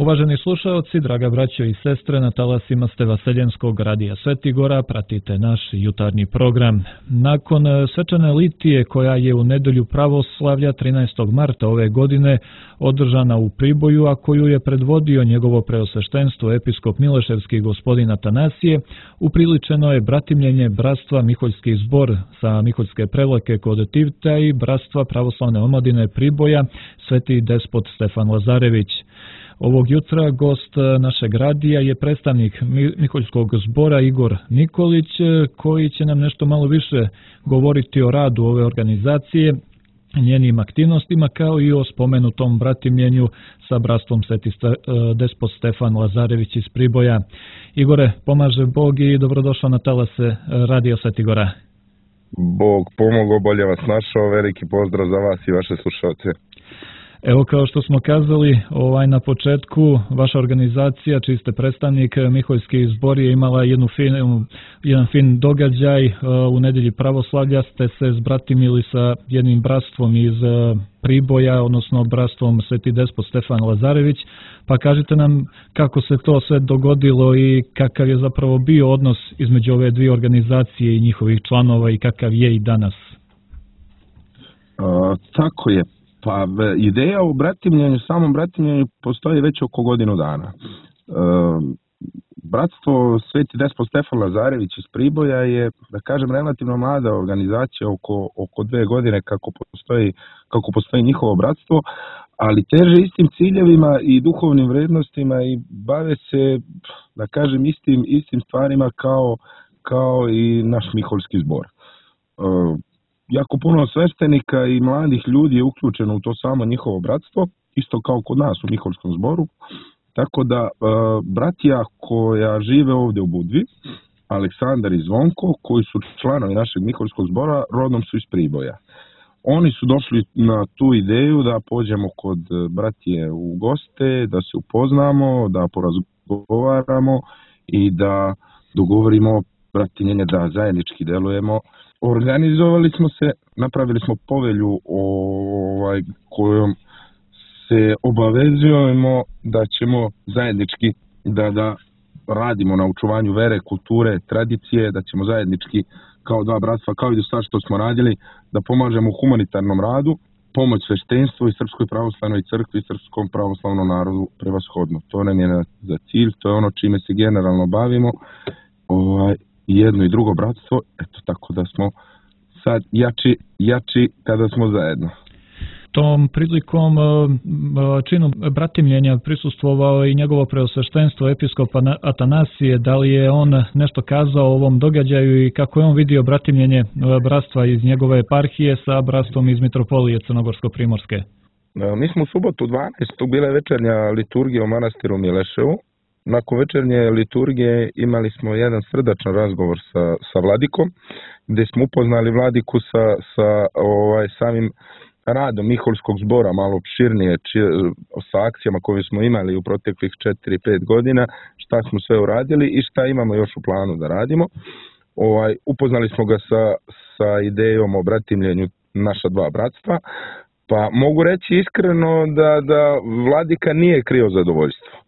Uvaženi slušaoci, draga braćo i sestre, na talasima ste Vaseljenskog radija Sveti Gora, pratite naš jutarnji program. Nakon svečane litije koja je u nedelju pravoslavlja 13. marta ove godine održana u Priboju, a koju je predvodio njegovo preosveštenstvo episkop Mileševski gospodin Atanasije, upriličeno je bratimljenje bratstva Miholjski zbor sa Miholjske Prevlake kod Tivta i bratstva pravoslavne omladine Priboja Sveti despot Stefan Lazarević. Ovog jutra gost našeg radija je predstavnik Miholjskog zbora Igor Nikolić, koji će nam nešto malo više govoriti o radu ove organizacije, njenim aktivnostima, kao i o spomenutom bratimljenju sa bratstvom Sveti despot Stefan Lazarević iz Priboja. Igore, pomaže Bog i dobrodošao na talase radija Sveti Gora. Bog pomogao, bolje vas našao, veliki pozdrav za vas i vaše slušalce. Evo, kao što smo kazali na početku, vaša organizacija, čiji ste predstavnik, Miholjski zbor, je imala jedan fin događaj. U nedelji pravoslavlja ste se zbratimili sa jednim bratstvom iz Priboja, odnosno bratstvom Sveti despot Stefan Lazarević. Pa kažite nam kako se to sve dogodilo i kakav je zapravo bio odnos između ove dvije organizacije i njihovih članova i kakav je i danas. Tako je. Pa ideja o bratimljenju, samom bratimljenju postoji već oko godinu dana. Bratstvo Sveti despot Stefan Lazarević iz Priboja je, da kažem, relativno mlada organizacija, oko 2 godine kako postoji njihovo bratstvo, ali teže istim ciljevima i duhovnim vrednostima i bave se, da kažem, istim stvarima kao i naš Miholjski zbor. Jako puno sveštenika i mladih ljudi je uključeno u to samo njihovo bratstvo, isto kao kod nas u Miholjskom zboru. Tako da bratija koja žive ovdje u Budvi, Aleksandar i Zvonko, koji su članovi našeg Miholjskog zbora, rodom su iz Priboja. Oni su došli na tu ideju da pođemo kod bratije u goste, da se upoznamo, da porazgovaramo i da dogovorimo bratimljenje, da zajednički delujemo. Organizovali smo se, napravili smo povelju kojom se obavezujemo da ćemo zajednički da radimo na očuvanju vere, kulture, tradicije, da ćemo zajednički kao dva bratstva, kao i do sad što smo radili, da pomažemo u humanitarnom radu, pomoć sveštenstvu i Srpskoj pravoslavnoj crkvi i Srpskom pravoslavnom narodu prevashodno. To nam je za cilj, to je ono čime se generalno bavimo. Jedno i drugo bratstvo, eto tako da smo sad jači kada smo zajedno. Tom prilikom činu bratimljenja prisustvovao i njegovo preosveštenstvo episkop Atanasije. Da li je on nešto kazao o ovom događaju i kako je on vidio bratimljenje bratstva iz njegove eparhije sa bratstvom iz Mitropolije Crnogorsko-Primorske? Mi smo u subotu 12. bile večernja liturgija u manastiru Mileševu. Nakon večernje liturgije imali smo jedan srdačan razgovor sa vladikom, gdje smo upoznali vladiku sa samim radom Miholjskog zbora, malo opširnije, sa akcijama koje smo imali u proteklih 4-5 godina, šta smo sve uradili i šta imamo još u planu da radimo. Upoznali smo ga sa idejom o bratimljenju naša dva bratstva, pa mogu reći iskreno da vladika nije krio zadovoljstvo.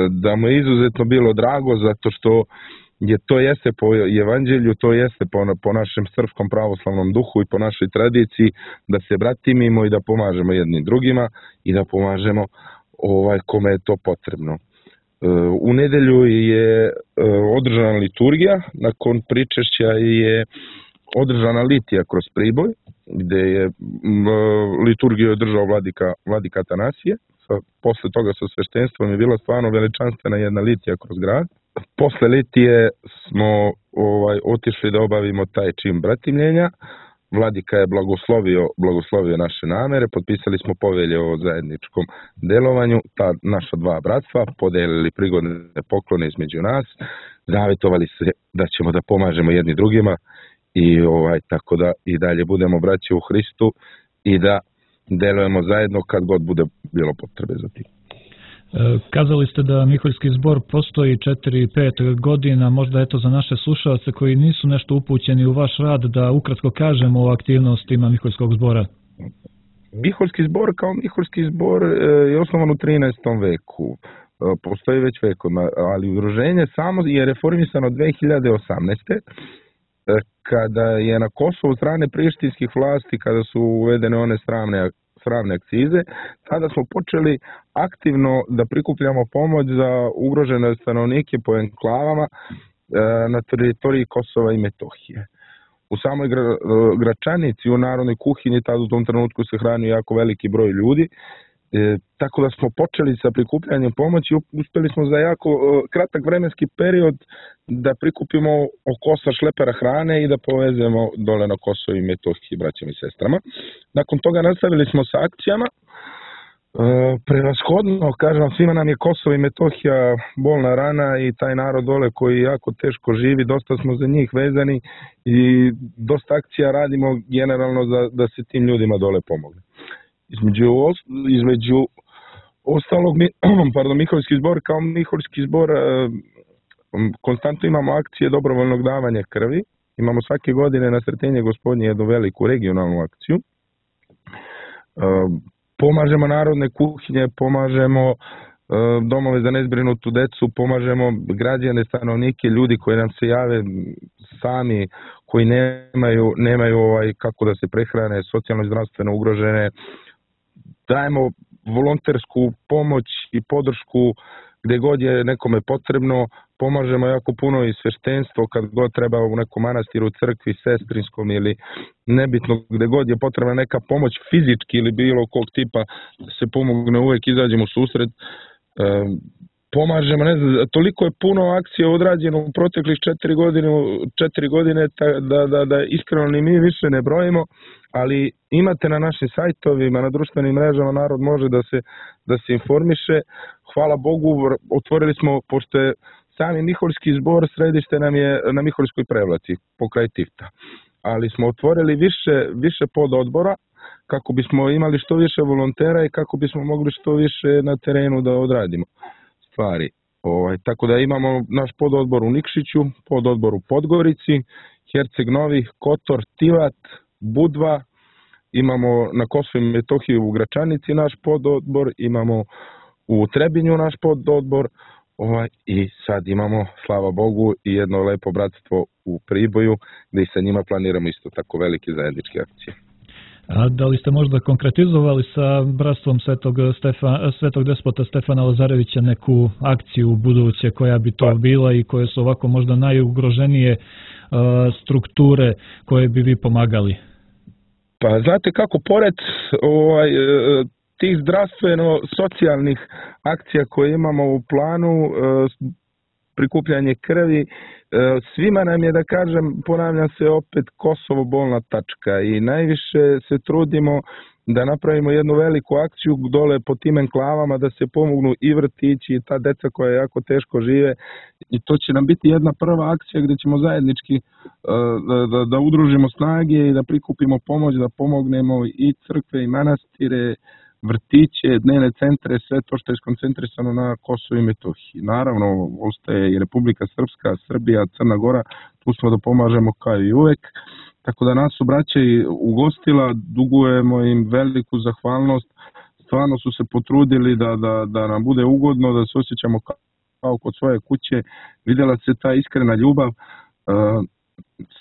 Da mu je izuzetno bilo drago zato što to jeste po evanđelju, to jeste po našem srpskom pravoslavnom duhu i po našoj tradiciji da se bratimimo i da pomažemo jednim drugima i da pomažemo kome je to potrebno. U nedelju je održana liturgija, nakon pričešća je održana litija kroz Priboj, gdje je liturgiju održao vladika Atanasije. Posle toga sa sveštenstvom je bila stvarno veličanstvena jedna litija kroz grad. Posle litije smo otišli da obavimo taj čin bratimljenja. Vladika je blagoslovio naše namere, potpisali smo povelje o zajedničkom delovanju, ta naša dva bratstva, podelili prigodne poklone između nas, zavetovali se da ćemo da pomažemo jedni drugima i tako da i dalje budemo braći u Hristu i da delujemo zajedno kad god bude bilo potrebe za tim. Kazali ste da Miholjski zbor postoji 4-5 godina, možda eto za naše slušalce koji nisu nešto upućeni u vaš rad da ukratko kažemo o aktivnostima Miholjskog zbora. Miholjski zbor kao Miholjski zbor je osnovan u 13. veku. Postoji već vekovima, ali udruženje samo je reformisano 2018. Kada je na Kosovu strane prištinskih vlasti, kada su uvedene one sramne akcize, tada smo počeli aktivno da prikupljamo pomoć za ugrožene stanovnike po enklavama na teritoriji Kosova i Metohije. U samoj Gračanici, u narodnoj kuhinji, tada u tom trenutku se hranio jako veliki broj ljudi, tako da smo počeli sa prikupljanjem pomoći i uspeli smo za jako kratak vremenski period da prikupimo oko 8 šlepera hrane i da povezemo dole na Kosovo i Metohiji braćama i sestrama. Nakon toga nastavili smo sa akcijama. Prevashodno, kažem vam, svima nam je Kosovo i Metohija bolna rana i taj narod dole koji jako teško živi, dosta smo za njih vezani i dosta akcija radimo generalno da se tim ljudima dole pomogne. Između ostalog, Miholjski zbor kao Miholjski zbor konstantno imamo akcije dobrovoljnog davanja krvi. Imamo svake godine na Sretenje Gospodnje jednu veliku regionalnu akciju. Pomažemo narodne kuhinje, pomažemo domove za nezbrinutu decu, pomažemo građane, stanovnike, ljudi koji nam se jave sami, koji nemaju kako da se prehrane, socijalno i zdravstveno ugrožene. Dajemo volontersku pomoć i podršku gde god je nekome potrebno, pomažemo jako puno i sveštenstvo kad god treba u nekom manastiru, crkvi, sestrinskom ili nebitno, gde god je potrebna neka pomoć fizički ili bilo kog tipa da se pomogne, uvek izađemo u susret. Pomažemo, ne znam, toliko je puno akcija odrađeno u proteklih 4 godine da iskreno ni mi više ne brojimo, ali imate na našim sajtovima, na društvenim mrežama, narod može da se informiše. Hvala Bogu, otvorili smo, pošto je sami Miholjski zbor, središte nam je na Miholjskoj Prevlaci, pokraj Tifta, ali smo otvorili više pododbora kako bismo imali što više volontera i kako bismo mogli što više na terenu da odradimo stvari. Tako da imamo naš pododbor u Nikšiću, pododbor u Podgorici, Herceg Novi, Kotor, Tivat, Budva, imamo na Kosovu i Metohiji u Gračanici naš pododbor, imamo u Trebinju naš pododbor i sad imamo, slava Bogu, i jedno lepo bratstvo u Priboju gde i sa njima planiramo isto tako velike zajedničke akcije. A da li ste možda konkretizovali sa bratstvom Svetog despota Stefana Lazarevića neku akciju buduće koja bi to bila i koje su ovako možda najugroženije strukture koje bi vi pomagali? Pa znate kako, pored tih zdravstveno-socijalnih akcija koje imamo u planu, prikupljanje krvi, svima nam je, da kažem, ponavljam se opet, Kosovo bolna tačka i najviše se trudimo da napravimo jednu veliku akciju dole po tim enklavama da se pomognu i vrtići i ta deca koja jako teško žive, i to će nam biti jedna prva akcija gde ćemo zajednički da udružimo snage i da prikupimo pomoć, da pomognemo i crkve i manastire, vrtiće, dnevne centre, sve to što je skoncentrisano na Kosovu i Metohiji. Naravno, ostaje i Republika Srpska, Srbija, Crna Gora, tu smo da pomažemo kao i uvek. Tako da nas su braća i ugostila, dugujemo im veliku zahvalnost, stvarno su se potrudili da nam bude ugodno, da se osjećamo kao kod svoje kuće, videla se ta iskrena ljubav.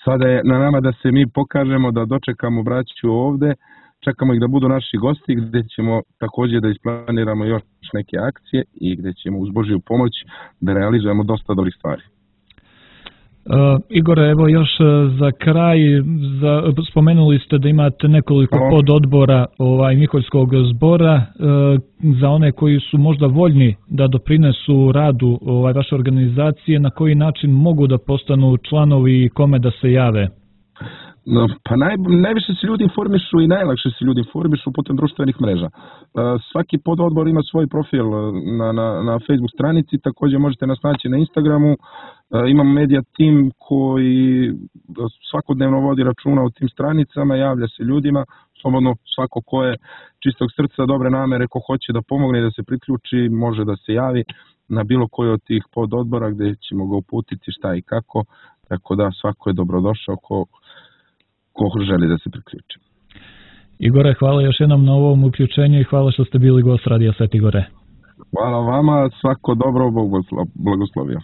Sada je na nama da se mi pokažemo, da dočekamo braću ovde, čekamo ih da budu naši gosti, gde ćemo takođe da isplaniramo još neke akcije i gde ćemo uz Božju pomoć da realizujemo dosta dobrih stvari. Igore, evo još za kraj, spomenuli ste da imate nekoliko pododbora Miholjskog zbora. Za one koji su možda voljni da doprinesu radu vaše organizacije, na koji način mogu da postanu članovi i kome da se jave? Pa najviše se ljudi informišu i najlakše se ljudi informišu putem društvenih mreža. Svaki pododbor ima svoj profil na Facebook stranici, takođe možete nas naći na Instagramu. Imamo media tim koji svakodnevno vodi računa o tim stranicama, javlja se ljudima, slobodno svako ko je čistog srca, dobre namere, ko hoće da pomogne, da se priključi, može da se javi na bilo koji od tih pododbora gde ćemo ga uputiti šta i kako, tako da svako je dobrodošao ko želi da se priključi. Igore, hvala još jednom na ovom uključenju i hvala što ste bili gost Radija Sveti Gore. Hvala vama, svako dobro, Bog blagoslovio.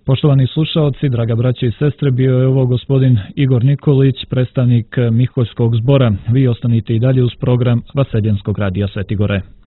Poštovani slušaoci, draga braće i sestre, bio je ovo gospodin Igor Nikolić, predstavnik Miholjskog zbora. Vi ostanite i dalje uz program Vaseljenskog radija Sveti Gore.